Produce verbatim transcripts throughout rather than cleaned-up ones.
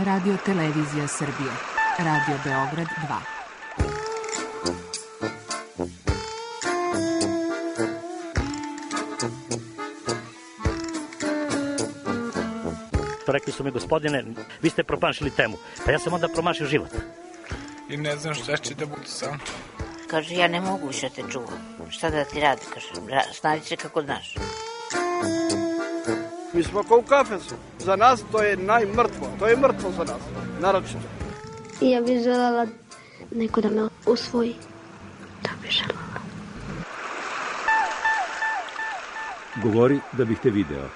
Radio Televizija Srbije. Radio Beograd dva. Rekli su mi, gospodine, vi ste promašili temu. Pa ja sam onda promašio život. I ne znam šta će da bude sam. Kaže, ja ne mogu više te čuvam. Šta da ti radi? Kaže, snađi se kako znaš. Mi smo kao u kafesu. Za nas to je najmrtvo. To je mrtvo za nas. Naročito. I ja bih želela neko da me usvoji. Da bih želela. Govori da bih te video.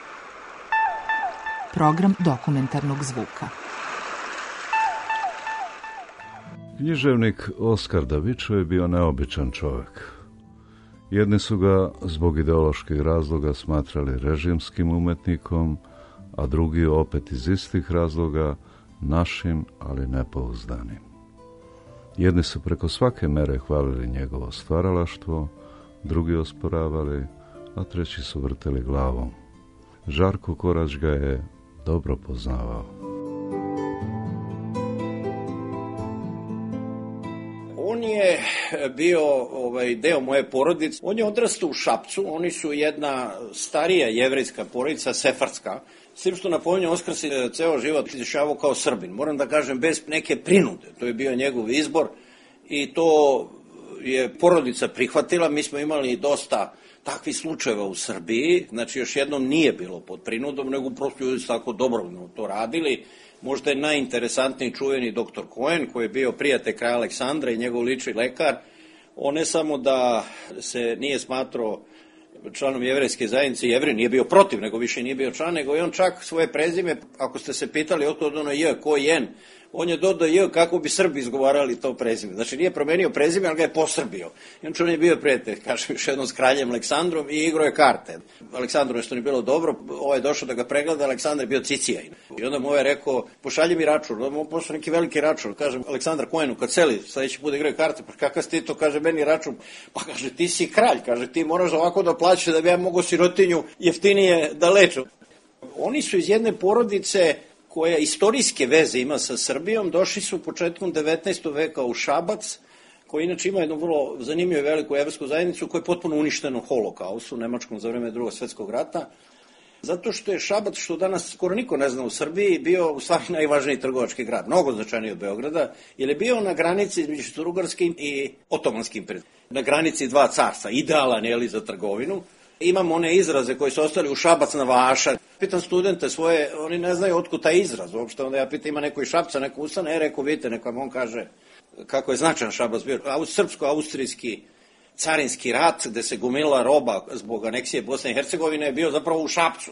Program dokumentarnog zvuka. Književnik Oskar Davičo je bio neobičan čovjek. Jedni su ga zbog ideoloških razloga smatrali režimskim umetnikom, a drugi opet iz istih razloga našim, ali nepouzdanim. Jedni su preko svake mere hvalili njegovo stvaralaštvo, drugi osporavali, a treći su vrteli glavom. Žarko Korać ga je dobro poznavao. On je bio ovaj, deo moje porodice. On je odrastao u Šapcu. Oni su jedna starija jevrejska porodica, sefardska. S tim što napominjem, Oskar se ceo život izjašnjavao kao Srbin. Moram da kažem, bez neke prinude. To je bio njegov izbor i to je porodica prihvatila. Mi smo imali dosta takvih slučajeva u Srbiji. Znači, još jednom nije bilo pod prinudom, nego prosto ljudi su tako dobrovoljno to radili. Možda je najinteresantniji čuveni doktor Cohen, koji je bio prijatelj kralja Aleksandra i njegov lični lekar. On ne samo da se nije smatrao članom jevrejske zajednice, Jevrej nije bio protiv, nego više nije bio član, nego i on čak svoje prezime, ako ste se pitali otkud ono J, ko jen, on je dodao J kako bi Srbi izgovarali to prezime. Znači nije promenio prezime, ali ga je posrbio. I on je bio prijatelj, kažem još jednom, s kraljem Aleksandrom i igrao je karte. Aleksandru nešto nije bilo dobro, ovaj je došao da ga pregleda, Aleksandar je bio cicijaj. I onda mu ovaj rekao, pošalji mi račun, onda mu pošao neki veliki račun. Kažem, Aleksandar Cohenu, kad seli, sledeći put igraju karte, pa kakav si ti to, kaže, meni račun. Pa kaže, ti si kralj, kaže, ti moraš ovako da plaćaš da bi ja mogo sirotinju jeftinije da leču. Oni su iz jedne porodice koja istorijske veze ima sa Srbijom, došli su početkom devetnaestog veka u Šabac, koji inače ima jednu vrlo zanimljivu i veliku jevrsku zajednicu koja je potpuno uništena u holokaustu, u Nemačkom za vreme Drugog svetskog rata, zato što je Šabac, što danas skoro niko ne zna u Srbiji, bio u stvari najvažniji trgovački grad, mnogo značajniji od Beograda, jer je bio na granici između Austrougarskim i Otomanskim imperijem, na granici dva carstva, idealan je li za trgovinu. Imamo one izraze koji su ostali u Šabac na vaša. Pitam studente svoje, oni ne znaju otkud taj izraz uopšte, onda ja pitam ima neko iz Šapca, neko Usana, e, rekao, vidite, neko on kaže kako je značajan Šabac bio. Srpsko-austrijski carinski rat, gde se gomila roba zbog aneksije Bosne i Hercegovine, je bio zapravo u Šapcu.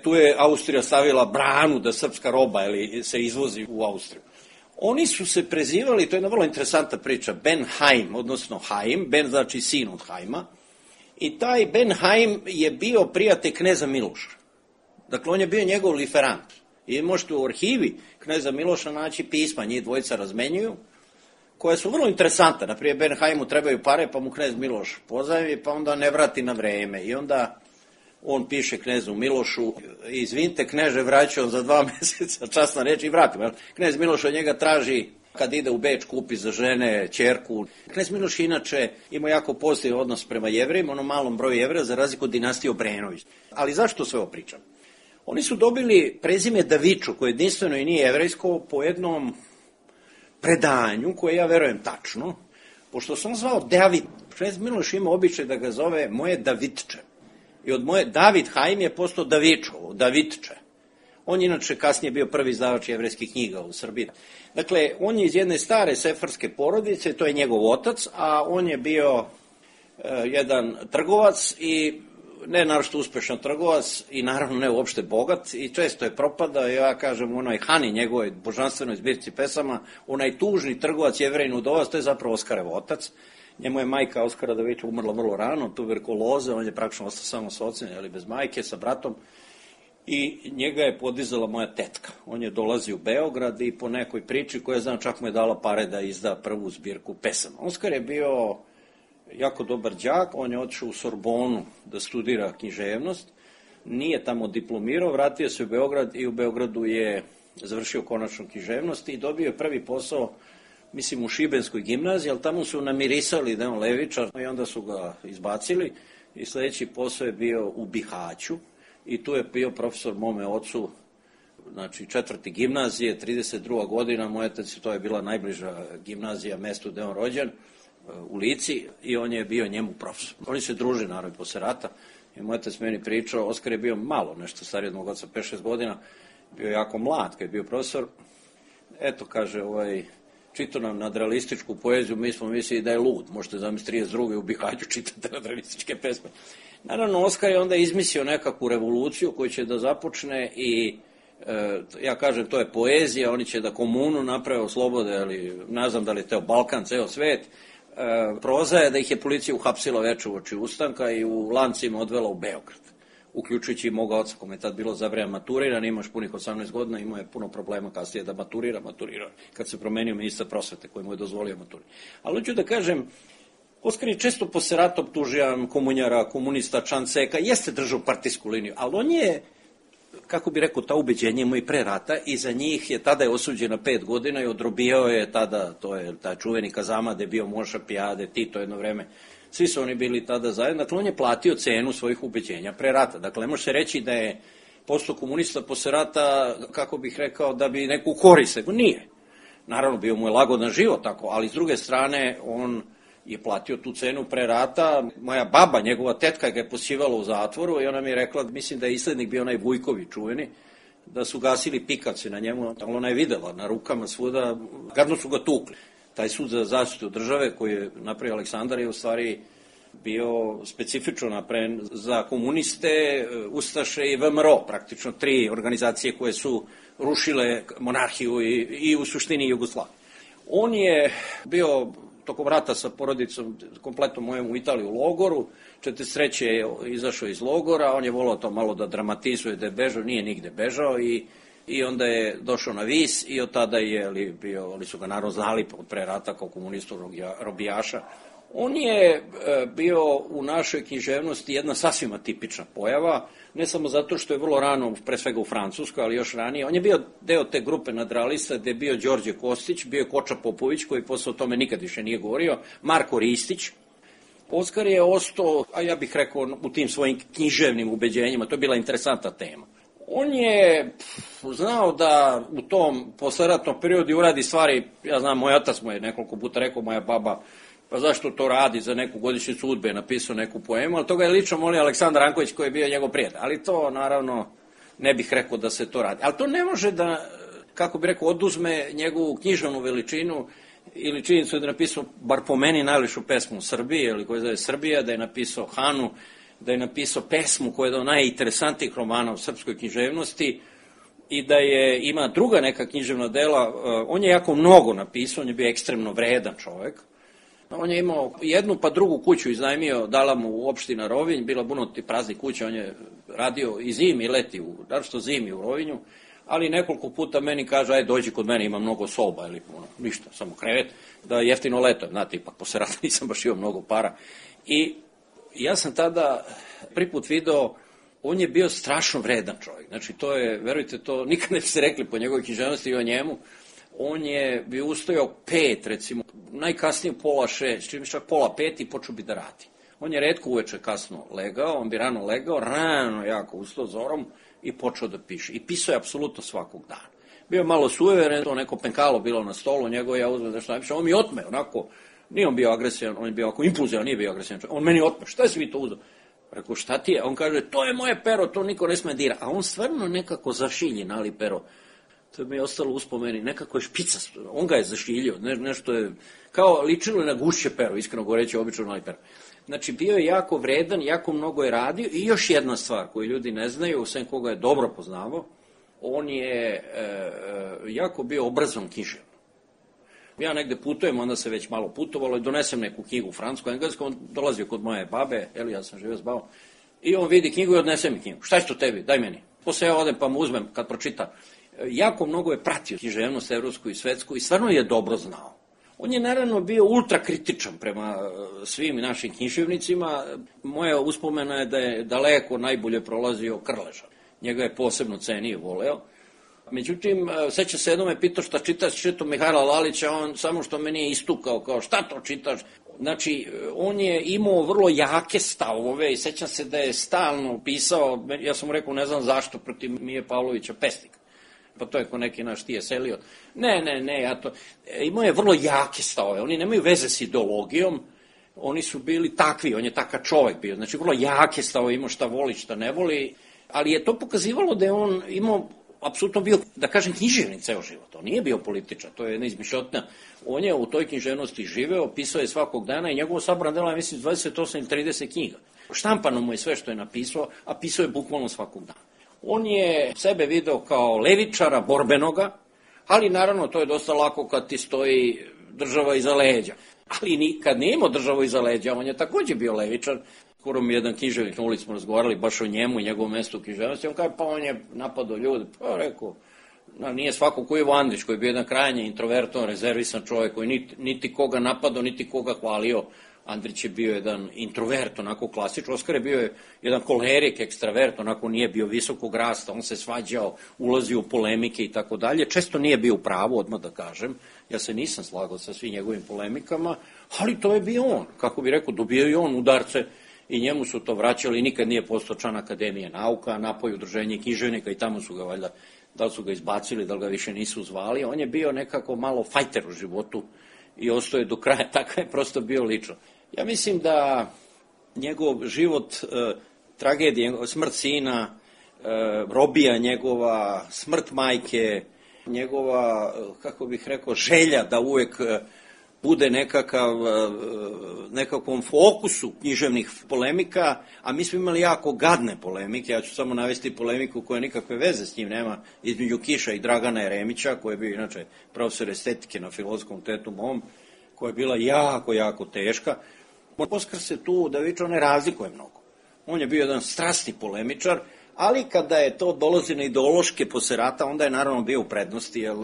Tu je Austrija stavila branu da srpska roba ili, se izvozi u Austriju. Oni su se prezivali, to je jedna vrlo interesantna priča, Ben Haim, odnosno Haim, Ben znači sin od Haima, i taj Ben Haim je bio prijatelj kneza Miloša. Dakle, on je bio njegov liferant. I možete u arhivi kneza Miloša naći pisma, njih dvojica razmenjuju, koje su vrlo interesante. Naprijed, Ben Haimu trebaju pare, pa mu knez Miloš pozajmi, pa onda ne vrati na vreme. I onda on piše knezu Milošu, izvinite, kneže, vraćao za dva meseca, časna reč, i vratimo. Knez Miloš od njega traži, kad ide u Beč, kupi za žene, ćerku. Knez Miloš inače ima jako pozitivan odnos prema Jevrejima, onom malom broju Jevreja, za razliku od dinastije Obrenović. Ali zašto sve ovo pričam? Oni su dobili prezime Davičo, koje jedinstveno i nije jevrejsko, po jednom predanju, koje ja verujem tačno, pošto sam zvao David. Knez Miloš ima običaj da ga zove moje Davidče. I od moje David Haim je postao Davičo, Davidče. On je inače kasnije bio prvi izdavač jevrejskih knjiga u Srbiji. Dakle, on je iz jedne stare sefardske porodice, to je njegov otac, a on je bio e, jedan trgovac i ne naročito uspešan trgovac i naravno ne uopšte bogat i često je propadao. Ja kažem u onoj Hani, njegovoj božanstvenoj zbirci pesama, onaj tužni trgovac Jevrejin udovac, to je zapravo Oskarev otac. Njemu je majka Oskara Daviča umrla vrlo rano, tuberkuloze, on je praktično ostao samo sa ocem, ali bez majke, sa bratom. I njega je podizala moja tetka. On je dolazi u Beograd i po nekoj priči koja znam čak mu je dala pare da izda prvu zbirku pesama. Oskar je bio jako dobar đak, on je otišao u Sorbonu da studira književnost, nije tamo diplomirao, vratio se u Beograd i u Beogradu je završio konačno književnost i dobio je prvi posao, mislim, u Šibenskoj gimnaziji, ali tamo su namirisali da je on levičar i onda su ga izbacili i sljedeći posao je bio u Bihaću i tu je bio profesor mome ocu, znači četvrti gimnazije, trideset druga godina, moj otac, to je bila najbliža gimnazija mestu gde je on rođen, u Lici, i on je bio njemu profesor. Oni se druže, naravno, posle rata, i moj otac meni pričao, Oskar je bio malo nešto stariji od mog oca, pet šest godina, bio jako mlad kad je bio profesor. Eto, kaže, ovaj, čitao nam nadrealističku poeziju, mi smo mislili da je lud, možete zamisliti trideset druge u Bihaću čitate nadrealističke pesme. Naravno, Oskar je onda izmislio nekakvu revoluciju koju će da započne i e, ja kažem, to je poezija, oni će da komunu naprave, oslobode, ali ne znam da li je teo Balkan, ceo svet. E, proza je da ih je policija uhapsila veče uoči ustanka i u lancima odvela u Beograd, uključujući i moga oca, kome je tad bilo za vreme maturiran, imaš punih osamnaest godina, imao je puno problema kasnije da maturira, maturira, kad se promenio ministar prosvete koji mu je dozvolio maturira. Ali hoću da kažem, Oskar je često posle rata optuživan komunjara, komunista, Čanceka, jeste držao partijsku liniju, ali on je, kako bi rekao, ta ubeđenja mu i pre rata i za njih je, tada je osuđen na pet godina i odrobijao je tada, to je taj čuveni Kazama, gde je bio Moša Pijade, Tito jedno vreme, svi su oni bili tada zajedno, dakle on je platio cenu svojih ubeđenja pre rata, dakle ne može se reći da je postao komunista posle rata, kako bih rekao, da bi neku korist, nije. Naravno, bio mu je lagodan život tako, ali s druge strane, on je platio tu cenu pre rata. Moja baba, njegova tetka, ga je posivala u zatvoru i ona mi je rekla, mislim da je islednik bio onaj Vujković čuveni, da su gasili pikavci na njemu, ali ona je videla na rukama svuda, gadno su ga tukli. Taj sud za zaštitu države koji je napravio Aleksandar je u stvari bio specifično napravljen za komuniste, ustaše i V M R O, praktično tri organizacije koje su rušile monarhiju i, i u suštini Jugoslaviju. On je bio tokom rata sa porodicom, kompletno mojom u Italiji u logoru, četrdeset treće je izašao iz logora, on je volao to malo da dramatizuje, da je bežao, nije nigde bežao i, i onda je došao na Vis i od tada je li, bio, ali su ga naravno znali pre rata kao komunistu robijaša. On je bio u našoj književnosti jedna sasvim atipična pojava, ne samo zato što je vrlo rano, pre svega u Francuskoj, ali još ranije. On je bio deo te grupe nadrealista gde je bio Đorđe Kostić, bio je Koča Popović, koji posle o tome nikad više nije govorio, Marko Ristić. Oskar je ostao, a ja bih rekao, u tim svojim književnim ubeđenjima, to je bila interesantna tema. On je znao da u tom posleratnom periodu uradi stvari, ja znam, moj otac mu je nekoliko puta rekao, moja baba, pa zašto to radi za neku godišnjicu udbe, je napisao neku poemu, ali toga je lično molio Aleksandar Ranković koji je bio njegov prijatelj, ali to naravno ne bih rekao da se to radi. Ali to ne može da, kako bih rekao, oduzme njegovu književnu veličinu ili činjenicu da je napisao, bar po meni, najljepšu pesmu u Srbiji, ili koja zove Srbija, da je napisao Hanu, da je napisao pesmu koja je do najinteresantnijih romana u srpskoj književnosti i da je, ima druga neka književna dela. On je jako mnogo napisao, on je bio ekstremno vredan čovek. On je imao jednu pa drugu kuću iznajmio, dala mu u opština Rovinj, bila bunoti prazni kuća, on je radio i zimi i leti, naročito zimi u Rovinju, ali nekoliko puta meni kaže, aj dođi kod mene, ima mnogo soba, ili ono, ništa, samo krevet, da jeftino leto, znate, ipak posle rata nisam baš imao mnogo para. I ja sam tada prvi put video, on je bio strašno vredan čovjek, znači to je, verujte, to nikad ne bi se rekli po njegovoj književnosti i o njemu. On je bi ustojao pet, recimo, najkasnije pola šest, čim čak pola pet i počeo bi da radi. On je retko uveče kasno legao, on bi rano legao, rano jako ustao zorom i počeo da piše. I pisao je apsolutno svakog dana. Bio je malo sujeveren, to neko penkalo bilo na stolu, njegov ja uzmem nešto napišem, on mi otme, onako, nije on bio agresivan, on je bio onako impulzivan, nije bio agresivan, on meni otme, šta si vi to uzeo? Rekao, šta ti je? On kaže, to je moje pero, to niko ne sme dira. A on stvarno nekako zašilji nali pero. To mi je ostalo uspomeni, nekako je špica, on ga je zašiljio, ne, nešto je, kao ličilo je na gušće pero, iskreno govoreći, obično nali pero. Znači, bio je jako vredan, jako mnogo je radio i još jedna stvar koju ljudi ne znaju, sem koga je dobro poznavao, on je e, jako bio obrazovan književno. Ja negde putujem, onda se već malo putovalo i donesem neku knjigu francusku, englesku, on dolazio kod moje babe, eli ja sam živio s babom, i on vidi knjigu i odnese mi knjigu. Šta je to tebi? Daj meni. Posle ja odem pa mu uzmem kad pročita. Jako mnogo je pratio književnost evropsku i svetsku i stvarno je dobro znao. On je naravno bio ultrakritičan prema svim našim književnicima. Moja uspomena je da je daleko najbolje prolazio Krleža. Njega je posebno cenio, voleo. Međutim, seća se jednom me pitao šta čitaš, čitao Mihajla Lalića, on samo što me nije istukao, kao šta to čitaš? Znači, on je imao vrlo jake stavove i sećam se da je stalno pisao, ja sam mu rekao ne znam zašto, protiv Mije Pavlovića Pesnika. Pa to je ko neki naš tije selio. Ne, ne, ne, ja to... Imao je vrlo jake stavove, oni nemaju veze s ideologijom, oni su bili takvi, on je takav čovek bio, znači vrlo jake stavove, imao šta voli, šta ne voli, ali je to pokazivalo da je on imao apsolutno bio, da kažem, književnik ceo život. On nije bio političar, to je jedna izmišljotna. On je u toj književnosti živeo, pisao je svakog dana i njegovo sabrano delo je, mislim, dvadeset osam ili trideset knjiga. Štampano mu je sve što je napisao, a pisao je bukvalno svakog dana. On je sebe video kao levičara, borbenoga, ali naravno to je dosta lako kad ti stoji država iza leđa. Ali kad nije imao državu iza leđa, on je takođe bio levičar. Skoro mi jedan književnik na ulici smo razgovarali baš o njemu i njegovom mestu u književnosti. On kaže, pa on je napadao ljude. Pa rekao, no, nije svako ko je Ivo Andrić, koji je bio jedan krajnje introvertovan, rezervisan čovjek, koji niti, niti koga napadao, niti koga hvalio. Andrić je bio jedan introvert, onako klasično. Oskar je bio jedan kolerik, ekstravert, onako nije bio visokog rasta, on se svađao, ulazio u polemike i tako dalje. Često nije bio u pravu, odmah da kažem. Ja se nisam slagao sa svim njegovim polemikama, ali to je bio on. Kako bi rekao, dobio i on udarce i njemu su to vraćali, nikad nije postao član Akademije nauka, napoj udruženje književnika i tamo su ga valjda, da li su ga izbacili, da li ga više nisu zvali. On je bio nekako malo fajter u životu i ostao je do kraja, tako je prosto bio lično. Ja mislim da njegov život, e, tragedija, smrt sina, e, robija njegova, smrt majke, njegova, kako bih rekao, želja da uvek bude nekakav, nekakvom fokusu književnih polemika, a mi smo imali jako gadne polemike, ja ću samo navesti polemiku koja nikakve veze s njim nema, između Kiša i Dragana Jeremića, koji je bio inače profesor estetike na Filozofskom fakultetu mom, koja je bila jako, jako teška. Oskar se tu, da viče, on ne razlikuje mnogo. On je bio jedan strasni polemičar, ali kada je to dolazi na ideološke posle rata, onda je naravno bio u prednosti, jer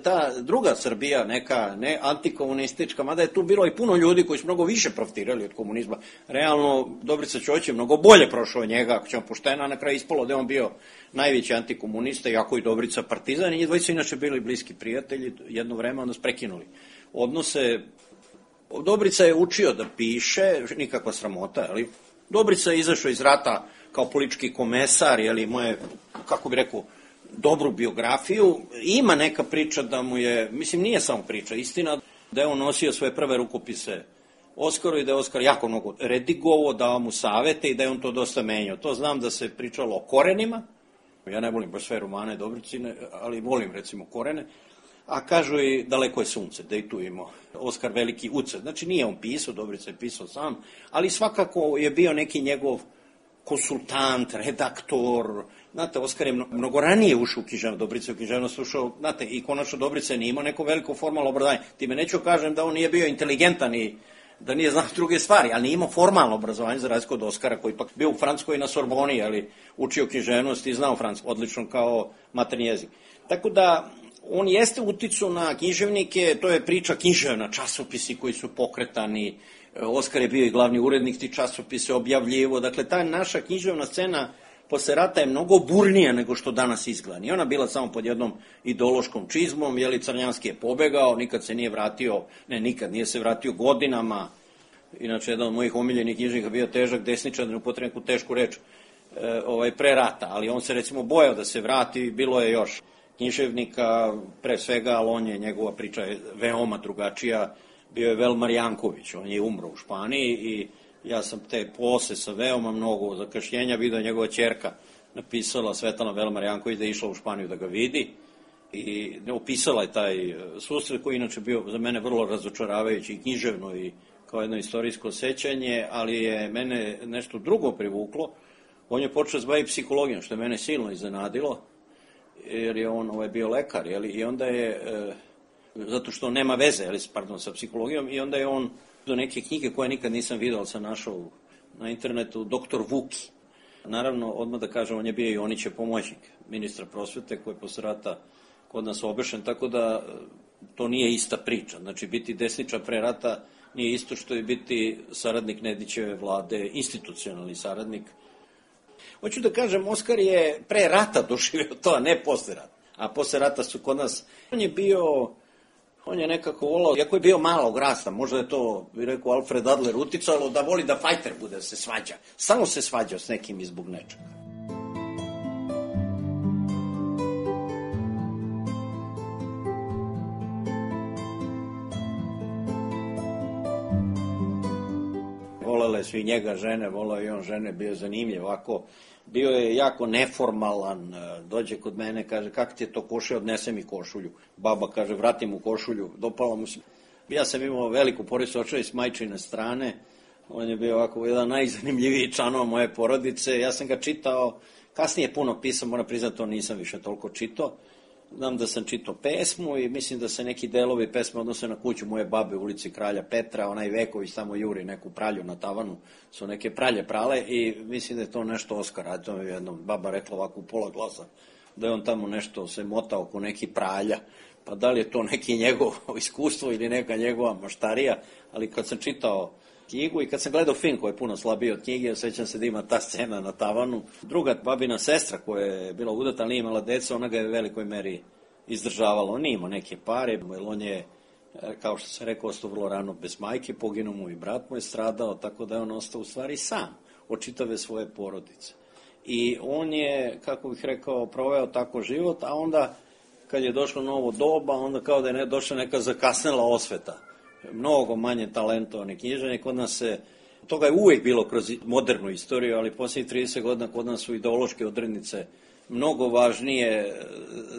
ta druga Srbija, neka ne antikomunistička, mada je tu bilo i puno ljudi koji su mnogo više profitirali od komunizma. Realno, Dobrica Ćoć je mnogo bolje prošao od njega, ako ćemo poštena, na kraju ispalo da je on bio najveći antikomunista, iako i Dobrica partizan, i njih dvojica inače bili bliski prijatelji, jedno vreme onda su prekinuli odnose. Dobrica je učio da piše, nikakva sramota, ali Dobrica je izašao iz rata kao politički komesar, jeli, moje, kako bi rekao, dobru biografiju. Ima neka priča da mu je, mislim, nije samo priča, istina, da je on nosio svoje prve rukopise Oskaru i da je Oskar jako mnogo redigovao, dao mu savete i da je on to dosta menjao. To znam da se pričalo o korenima, ja ne volim baš sve romane Dobricine, ali volim recimo Korene, a kažu i Daleko je sunce, da i tu imao Oskar veliki ucet. Znači nije on pisao, Dobrica je pisao sam, ali svakako je bio neki njegov konsultant, redaktor. Znate, Oskar je mnogo ranije ušao u književnost, Dobrica je u književnost ušao, znate, i konačno Dobrica nije imao neko veliko formalno obrazovanje. Time neću kažem da on nije bio inteligentan i da nije znao druge stvari, ali nije imao formalno obrazovanje za razliku od Oskara, koji ipak bio u Francuskoj na Sorboni, ali učio književnost i znao francuski, odlično kao maternji jezik. Tako da, on jeste uticao na književnike, to je priča književna, časopisi koji su pokretani, Oskar je bio i glavni urednik tih časopisa, objavljivo, dakle ta naša književna scena posle rata je mnogo burnija nego što danas izgleda. Nije ona bila samo pod jednom ideološkom čizmom, jeli Crnjanski je pobegao, nikad se nije vratio, ne nikad, nije se vratio godinama, inače jedan od mojih omiljenih književnika bio težak desničar, da ne upotrebim neku tešku reč, e, ovaj, pre rata, ali on se recimo bojao da se vrati, bilo je još književnika, pre svega, ali on je, njegova priča je veoma drugačija, bio je Velmar Janković, on je umro u Španiji i ja sam te posle sa veoma mnogo zakašnjenja vidio njegova ćerka napisala Svetlana Velmar Janković da je išla u Španiju da ga vidi i opisala je taj susret koji inače bio za mene vrlo razočaravajući i književno i kao jedno istorijsko sećanje, ali je mene nešto drugo privuklo. On je počeo se baviti psihologijom, što je mene silno iznenadilo, jer je on ovaj, bio lekar, jeli, i onda je, e, zato što nema veze, jeli, pardon, sa psihologijom, i onda je on do neke knjige koje nikad nisam vidio, ali sam našao na internetu, doktor Vuki. Naravno, odmah da kažem, on je bio i Onićev pomoćnik ministra prosvete, koji je posle rata kod nas obešen, tako da to nije ista priča. Znači, biti desničar pre rata nije isto što je biti saradnik Nedićeve vlade, institucionalni saradnik. Hoću da kažem, Oskar je pre rata doživio to, a ne posle rata. a posle rata su kod nas, on je bio, on je nekako volao, iako je bio malog rasta, možda je to, bi rekao Alfred Adler, uticalo da voli da fajter bude, da se svađa. Stalno se svađao s nekim i zbog nečega. Volele svi njega žene, volao i on žene, bio je zanimljiv, ovako, bio je jako neformalan, dođe kod mene, kaže, kak ti je to košulja, odnese mi košulju. Baba kaže, vrati mu košulju, dopalo mu se. Ja sam imao veliku porodicu, očeo s majčine strane, on je bio ovako jedan najzanimljiviji članova moje porodice, ja sam ga čitao, kasnije puno pisao, moram priznati, to nisam više toliko čitao. Znam da sam čitao pesmu i mislim da se neki delovi pesme odnose na kuću moje babe u ulici Kralja Petra, onaj Veković tamo juri neku pralju na tavanu, su neke pralje prale i mislim da je to nešto Oskar, a to mi je jednom baba rekla ovako u pola glasa, da je on tamo nešto se motao oko neki pralja, pa da li je to neki njegovo iskustvo ili neka njegova maštarija, ali kad sam čitao knjigu i kad sam gledao film koji je puno slabiji od knjige, osjećam se da ima ta scena na tavanu. Druga babina sestra koja je bila udata, ali nije imala deca, ona ga je u velikoj meri izdržavala. On nije imao neke pare, jer on je, kao što sam rekao, ostao vrlo rano bez majke, poginuo mu i brat mu je stradao, tako da je on ostao u stvari sam od čitave svoje porodice. I on je, kako bih rekao, proveo tako život, a onda kad je došlo novo doba, onda kao da je ne, došla neka zakasnela osveta. Mnogo manje talentovane književnike, kod nas se, toga je uvijek bilo kroz modernu istoriju, ali posljednjih trideset godina kod nas su ideološke odrednice mnogo važnije,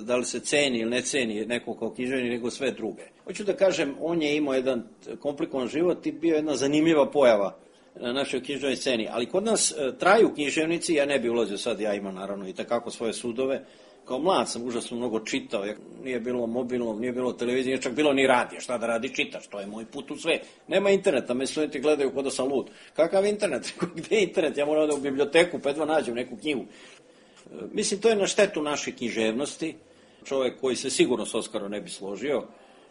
da li se ceni ili ne ceni neko kao književnik, nego sve druge. Hoću da kažem, on je imao jedan komplikovan život i bio jedna zanimljiva pojava na našoj književnoj sceni, ali kod nas traju književnici, ja ne bi ulazio sad, ja imam naravno i takako svoje sudove. Kao mlad sam užasno mnogo čitao, nije bilo mobilnog, nije bilo televizije, nije čak bilo ni radija, šta da radi, čitaš, to je moj put u sve. Nema interneta, me studenti gledaju kod da sam lud. Kakav internet? Gde je internet? Ja moram da u biblioteku, pa jedva nađem neku knjigu. Mislim, to je na štetu naše književnosti. Čovjek koji se sigurno s Oskarom ne bi složio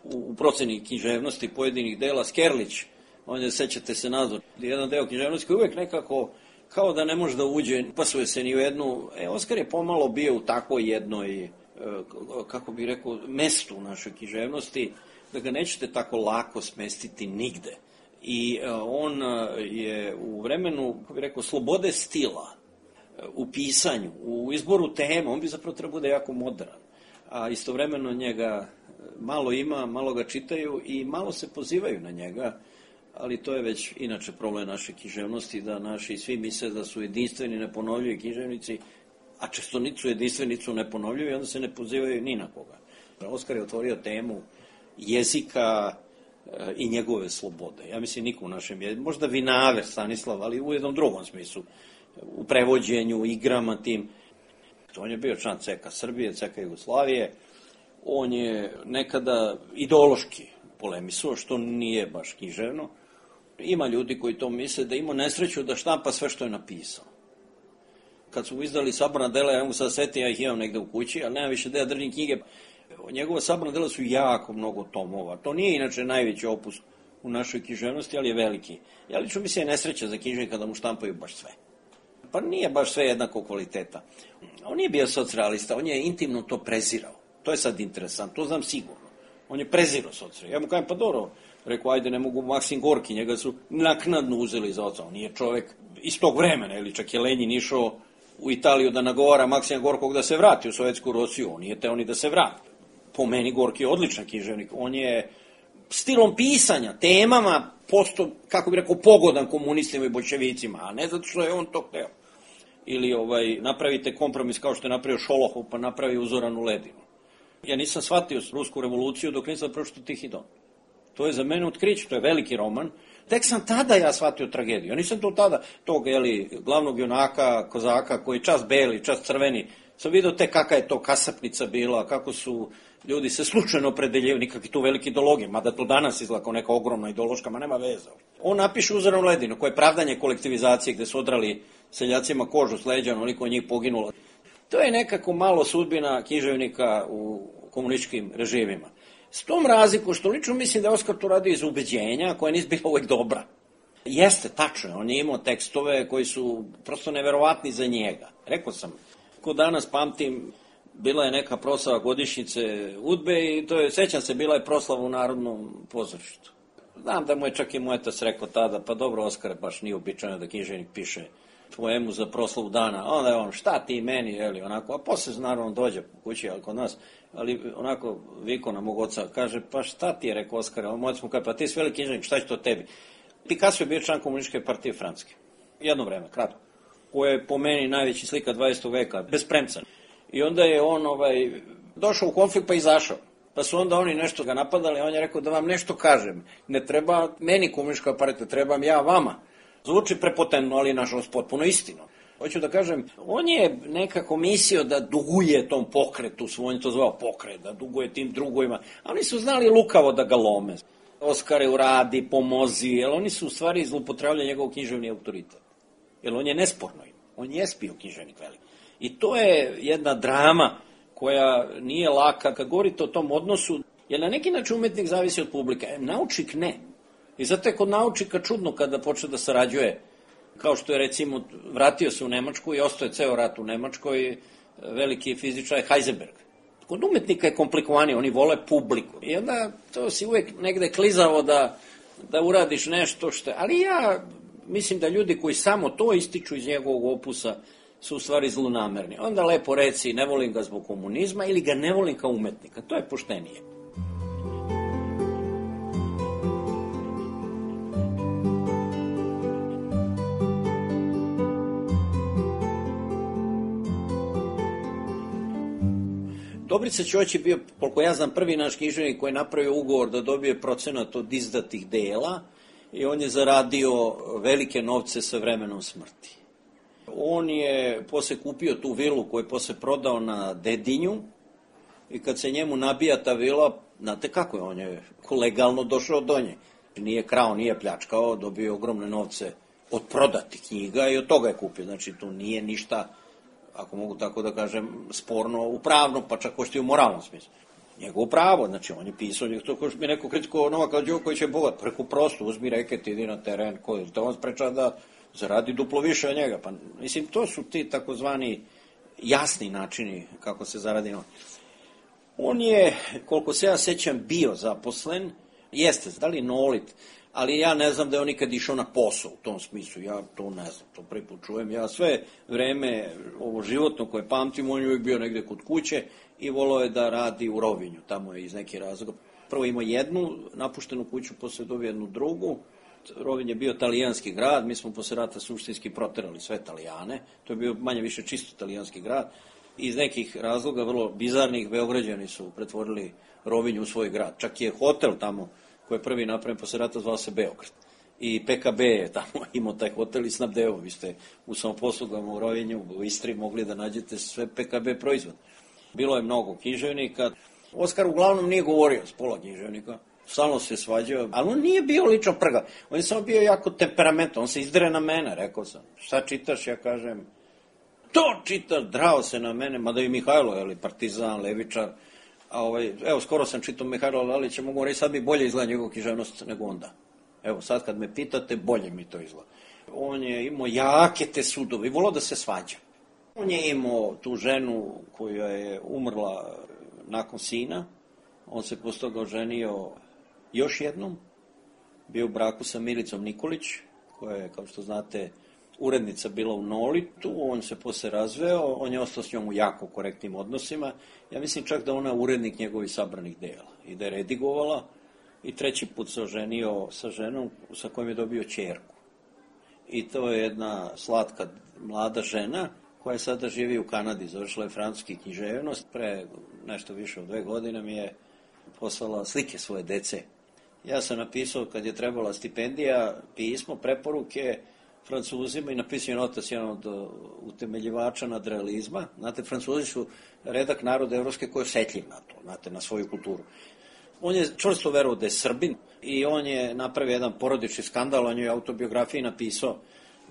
u proceni književnosti pojedinih dela, Skerlić, on je, sećate se nazor, jedan deo književnosti koji uvijek nekako kao da ne može da uđe, pasuje se ni u jednu. E, Oskar je pomalo bio u takvoj jednoj, kako bih rekao, mestu u našoj književnosti, da ga nećete tako lako smestiti nigde. I on je u vremenu, kako bih rekao, slobode stila, u pisanju, u izboru tema, on bi zapravo trebao da je jako modern. A istovremeno njega malo ima, malo ga čitaju i malo se pozivaju na njega, ali to je već inače problem naše književnosti, da naši svi misle da su jedinstveni, neponovljivi književnici, a često nisu jedinstveni, nisu neponovljivi, onda se ne pozivaju ni na koga. Oskar je otvorio temu jezika i njegove slobode. Ja mislim niko u našem jeziku, možda Vinaver, Stanislav, ali u jednom drugom smislu, u prevođenju, igrama tim. On je bio član C K Srbije, C K Jugoslavije, on je nekada ideološki polemisao, što nije baš književno. Ima ljudi koji to misle da ima nesreću da štampa sve što je napisao. Kad su izdali saborna dela, ja mogu sad setiti, ja ih imam negde u kući, ali nema više da ja držim knjige. Njegova saborna dela su jako mnogo tomova. To nije inače najveći opus u našoj književnosti, ali je veliki. Ja lično mislim je nesreća za književnika da mu štampaju baš sve. Pa nije baš sve jednako kvaliteta. On nije bio socrealista, on je intimno to prezirao. To je sad interesantno, to znam sigurno. On je prezirao socrealizam. Ja mu kažem, pa dobro, rekao, ajde, ne mogu Maksim Gorki, njega su naknadno uzeli za oca. On nije čovek iz tog vremena, ili čak je Lenjin išao u Italiju da nagovara Maksima Gorkog da se vrati u Sovjetsku Rusiju. On nije teo ni da se vrati. Po meni Gorki je odličan književnik. On je stilom pisanja, temama, posto, kako bi rekao, pogodan komunistima i bolševicima, a ne zato što je on to hteo. Ili ovaj, napravite kompromis kao što je napravio Šolohov, pa napravi Uzoranu ledinu. Ja nisam shvatio rusku revoluciju dok nisam pročitao Tihi Don. To je za mene otkriće, to je veliki roman. Tek sam tada ja shvatio tragediju. Ja nisam to tada, tog, jeli, glavnog junaka, kozaka, koji čas beli, čas crveni, sam vidio te kakva je to kasapnica bila, kako su ljudi se slučajno opredeljivali, nikakvi tu veliki ideologije, mada to danas izgleda kao neka ogromna ideološka, ma nema veze. On napiše Uzoranu ledinu, koje je pravdanje kolektivizacije, gde su odrali seljacima kožu s leđa, onoliko njih poginulo. To je nekako malo sudbina književnika u komunističkim režimima. S tom razliku što lično mislim da je Oskar to radio iz ubeđenja, koja nije bila uvek dobra. Jeste, tačno, on je imao tekstove koji su prosto neverovatni za njega. Rekao sam, ko danas pamtim bila je neka proslava godišnjice UDBE i to je, sećam se, bila je proslava u Narodnom pozorištu. Znam da mu je čak i moj otac rekao tada, pa dobro, Oskar, baš nije običajno da književnik piše poemu za proslavu dana, a onda je on, šta ti meni, jeli, onako, a posle naravno dođe po kući, ali kod nas, ali onako viko na mog oca, kaže, pa šta ti je, rekao Oskar, a moj otac mu kaže, pa ti si veliki književnik, šta će to tebi? Picasso je bio član komunističke partije Francuske, jedno vreme, kratko, koja je po meni najveći slika dvadesetog veka, bez premca. I onda je on ovaj, došao u konflikt pa izašao. Pa su onda oni nešto ga napadali, a on je rekao da vam nešto kažem. Ne treba meni komunistička partija, trebam ja vama. Zvuči prepotentno, ali nažalost potpuno istino. Hoću da kažem, on je nekako mislio da duguje tom pokretu, on je to zvao pokret, da duguje tim drugovima. A oni su znali lukavo da ga lome. Oskare, uradi, pomozi, jer oni su u stvari zloupotrebljali njegov književni autoritet. Jer on je nesporno im. On je bio književnik velik. I to je jedna drama koja nije laka. Kad govorite o tom odnosu, jer na neki način umetnik zavisi od publike. Naučnik ne. I zato je kod naučnika čudno kada počne da sarađuje. Kao što je, recimo, vratio se u Nemačku i ostao je ceo rat u Nemačkoj, veliki fizičar Heisenberg. Kod umetnika je komplikovanije, oni vole publiku. I onda to si uvek negde klizavo da, da uradiš nešto što... Ali ja mislim da ljudi koji samo to ističu iz njegovog opusa su u stvari zlonamerni. Onda lepo reci, ne volim ga zbog komunizma ili ga ne volim kao umetnika. To je poštenije. Dobrica Ćoć je bio, koliko ja znam, prvi naš književnik koji je napravio ugovor da dobije procenat od izdatih dela i on je zaradio velike novce sa vremenom smrti. On je posle kupio tu vilu koju je posle prodao na Dedinju i kad se njemu nabija ta vila, znate kako je, on je legalno došao do nje. Nije krao, nije pljačkao, dobio ogromne novce od prodatih knjiga i od toga je kupio. Znači, tu nije ništa, ako mogu tako da kažem, sporno u pravnom, pa čak ošto i u moralnom smislu. Njegovo pravo, znači on je pisao, to ko što mi neko kritiko Novaka Đoković je bogat, preko prosto, uzmi reket, idi na teren, koji te on spreča da zaradi duplo više od njega. Pa, mislim, to su ti takozvani jasni načini kako se zaradi novac. On je, koliko se ja sećam, bio zaposlen, jeste, da li nolit, ali ja ne znam da je on nikad išao na posao u tom smislu, ja to ne znam, to prvi put čujem. Ja sve vreme, ovo životno koje pamtim, on je uvijek bio negde kod kuće i volao je da radi u Rovinju, tamo je iz nekih razloga. Prvo imao jednu napuštenu kuću, posle dobio jednu drugu. Rovinj je bio talijanski grad, mi smo posle rata suštinski proterali sve Talijane, to je bio manje više čisto talijanski grad. Iz nekih razloga, vrlo bizarnih, Beograđani su pretvorili Rovinj u svoj grad. Čak je hotel tamo koji je prvi napravljen posle rata zvao se Beograd. I P K B je tamo imao taj hotel i snabdeo. Vi ste u samoposlugama u Rovinju, u Istri mogli da nađete sve P K B proizvod. Bilo je mnogo književnika. Oskar uglavnom nije govorio s pola književnika. Stalno se svađao, ali on nije bio lično prga. On je samo bio jako temperamentan. On se izdre na mene, rekao sam. Šta čitaš? Ja kažem, to čitaš, drao se na mene, mada i Mihajlo, jeli, partizan, levičar. A ovaj, evo, skoro sam čitao Mihajlo Lalića, mogu reći, sad mi bolje izgleda njegov književnost nego onda. Evo, sad kad me pitate, bolje mi to izgleda. On je imao jake te sudove i volao da se svađa. On je imao tu ženu koja je umrla nakon sina. On se posle toga oženio još jednom. Bio u braku sa Milicom Nikolić, koja je, kao što znate, urednica bila u Nolitu. On se posle razveo, on je ostao s njom u jako korektnim odnosima. Ja mislim čak da ona urednik njegovih sabranih dela i da je redigovala. I treći put se oženio sa ženom sa kojom je dobio ćerku. I to je jedna slatka mlada žena koja sada živi u Kanadi, završila je francuski književnost. Pre nešto više od dve godine mi je poslala slike svoje dece. Ja sam napisao, kad je trebala stipendija, pismo, preporuke Francuzima i napisao je otac jedan od utemeljivača nadrealizma. Znate, Francuzi su redak naroda evropske koji je osjetljiv na to, znate, na svoju kulturu. On je čvrsto verovao da je Srbin i on je napravio jedan porodični skandal, on je u autobiografiji napisao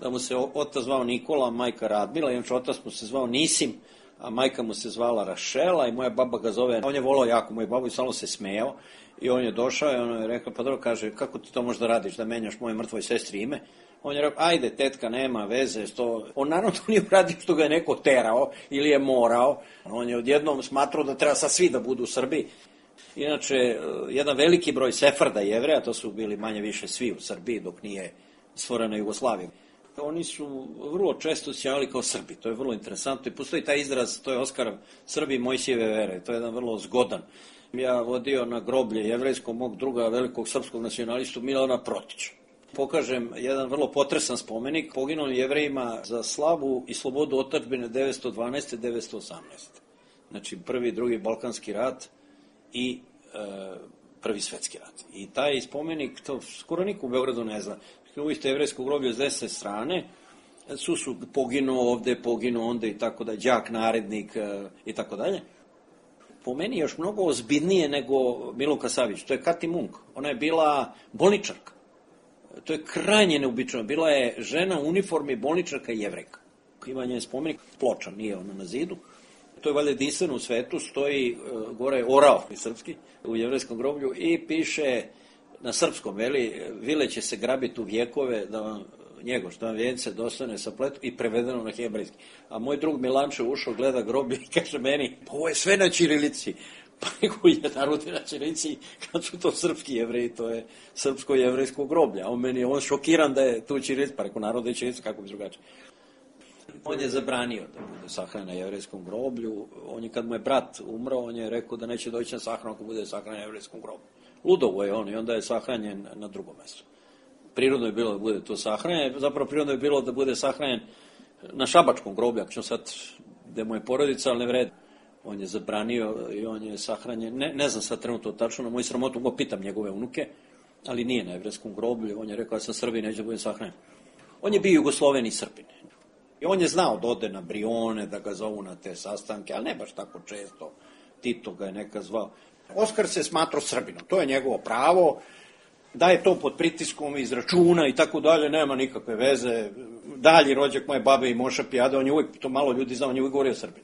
da mu se otac zvao Nikola, majka Radmila, i otac mu se zvao Nisim, a majka mu se zvala Rašela i moja baba ga zove, on je volao jako moju babu i stalno se smejao i on je došao i on je rekao, pa dobro, kaže, kako ti to možda radiš, da menjaš moje mrtvoj sestri ime? On je rekao, ajde, tetka, nema veze. Što... On naravno to nije uradio što ga je neko terao ili je morao. On je odjednom smatrao da treba sad svi da budu u Srbiji. Inače, jedan veliki broj Sefarda Jevreja, to su bili manje više svi u Srbiji dok nije stvorena Jugoslavija. Oni su vrlo često se javili kao Srbi, to je vrlo interesantno i postoji taj izraz, to je Oskar Srbi Mojsijeve vere, to je jedan vrlo zgodan. Ja vodio na groblje jevrejskog mog druga velikog srpskog nacionalistu Milana Protića. Pokažem jedan vrlo potresan spomenik poginulim Jevrejima za slavu i slobodu otadžbine devetsto dvanaeste do devetsto osamnaeste. Znači prvi i drugi Balkanski rat i e, prvi svetski rat. I taj spomenik, to skoro niko u Beogradu ne zna. Uvijek jevrejsko groblje s desne strane, su su poginuo ovde, poginuo onda i tako da, đak, narednik e, i tako dalje. Po meni još mnogo ozbiljnije nego Milunka Savić. To je Kati Munk. Ona je bila bolničarka. To je krajnje neobičajno. Bila je žena u uniformi bolničarka i jevrejka. Ima njen spomenik, ploča, nije ona na zidu. To je valjda jedinstveno u svetu, stoji uh, gore orao i srpski u jevrejskom groblju i piše na srpskom, veli, vile će se grabiti u vjekove da vam njegoš, da vam vijence dostane sa pletu i prevedeno na hebrejski. A moj drug Milančev ušao, gleda groblje i kaže meni, pa ovo je sve na ćirilici. Pa nego je narodi na ćirilici, kad su to srpski jevreji, to je srpsko-jevrejsko groblje. A on meni je on šokiran da je tu ćirilici, pa reko narod je ćirilici, kako bi drugačije. On je zabranio da bude sahranjen na jevrejskom groblju. On je, kad mu je brat umro, on je rekao da neće doći na sahranu ako bude sahranjen na jevrejskom groblju. Ludovo je on i onda je sahranjen na drugom mjestu. Prirodno je bilo da bude to sahranjen, zapravo prirodno je bilo da bude sahranjen na šabačkom groblju, ako ćemo sad, gde mu je porodica, ali ne vredi. On je zabranio i on je sahranjen, ne, ne znam sad trenutno tačno, na moju sramotu, go pitam njegove unuke, ali nije na jevrejskom groblju. On je rekao, ja sam Srbin, neće da budem sahranjen. On je bio Jugosloven i Srbin. I on je znao da ode na Brione, da ga zovu na te sastanke, ali ne baš tako često. Tito ga je neka zvao. Oskar se smatrao Srbinom, to je njegovo pravo, da je to pod pritiskom iz računa i tako dalje, nema nikakve veze. Dalji rođak moje babe i Moša Pijade, on je uvijek, to malo ljudi zna, on je uvijek govorio Srbin.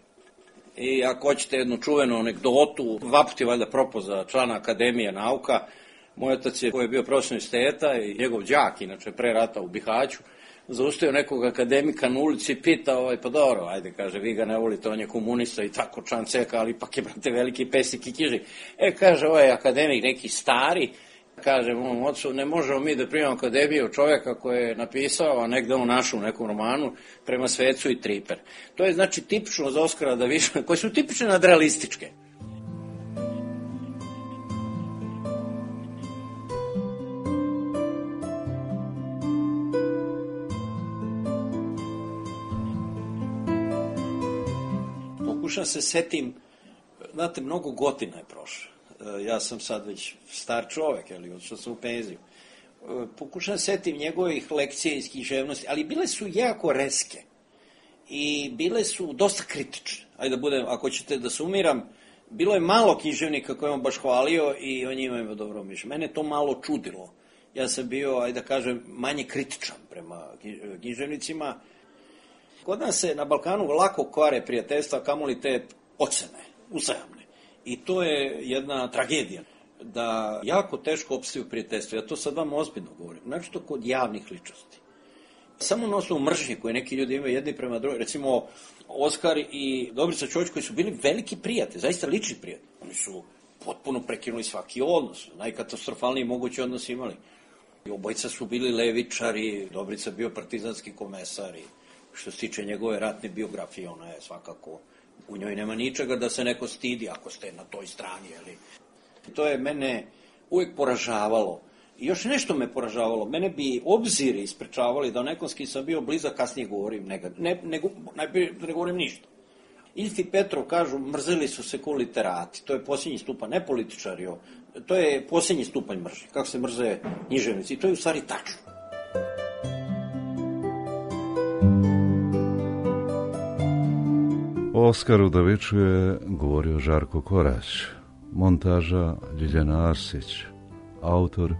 I ako hoćete jednu čuvenu anegdotu, dva puta je valjda propao za člana Akademije nauka, moj otac je, koji je bio profesor univerziteta i njegov đak, inače pre rata u Bihaću, zaustavio nekog akademika na ulici i pita, ovaj, pa dobro, ajde, kaže, vi ga ne volite, on je komunista i tako član ceka, ali ipak je, brate, veliki pesik i kiži. E, kaže, ovaj akademik, neki stari, kaže mom ocu, ne možemo mi da primamo akademiju čovjeka koji je napisao, a negde on našao u nekom romanu, prema Svecu i Triper. To je, znači, tipično za Oskara da više, koje su tipične nadrealističke. Pokušam se setim, znate, mnogo godina je prošlo. Ja sam sad već star čovek, ali odšao sam u penziju. Pokušam se setim njegovih lekcija iz književnosti, ali bile su jako reske i bile su dosta kritične. Ajde da budem, ako ćete da sumiram, bilo je malo književnika koje on baš hvalio i o njima ima dobro mišljenje. Mene to malo čudilo. Ja sam bio, ajde da kažem, manje kritičan prema književnicima. Kod nas se na Balkanu lako kvare prijateljstva, kamoli te ocene, uzajamne. I to je jedna tragedija, da jako teško opstaju prijateljstvo. Ja to sad vam ozbiljno govorim, znači to kod javnih ličnosti. Samo na osnovu mržnje koje neki ljudi imaju jedni prema drugim, recimo Oskar i Dobrica Čović koji su bili veliki prijatelji, zaista lični prijatelji. Oni su potpuno prekinuli svaki odnos, najkatastrofalniji mogući odnos imali. I obojica su bili levičari, Dobrica bio partizanski komesar i što se tiče njegove ratne biografije, ona je svakako, u njoj nema ničega da se neko stidi ako ste na toj strani. Ali. To je mene uvijek poražavalo. I još nešto me poražavalo. Mene bi obziri isprečavali da o nekom s kim sam bio blizak, kasnije govorim negativno. Ne, ne, najprije ne govorim ništa. Ilf i Petrov kažu, mrzeli su se ko literati. To je posljednji stupanj, ne političari. To je posljednji stupanj mržnje. Kako se mrze književnici. I to je u stvari tačno. O Oskaru Daviću je govorio Žarko Korać, montaža Ljiljana Arsić, autor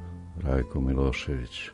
Rajko Milošević.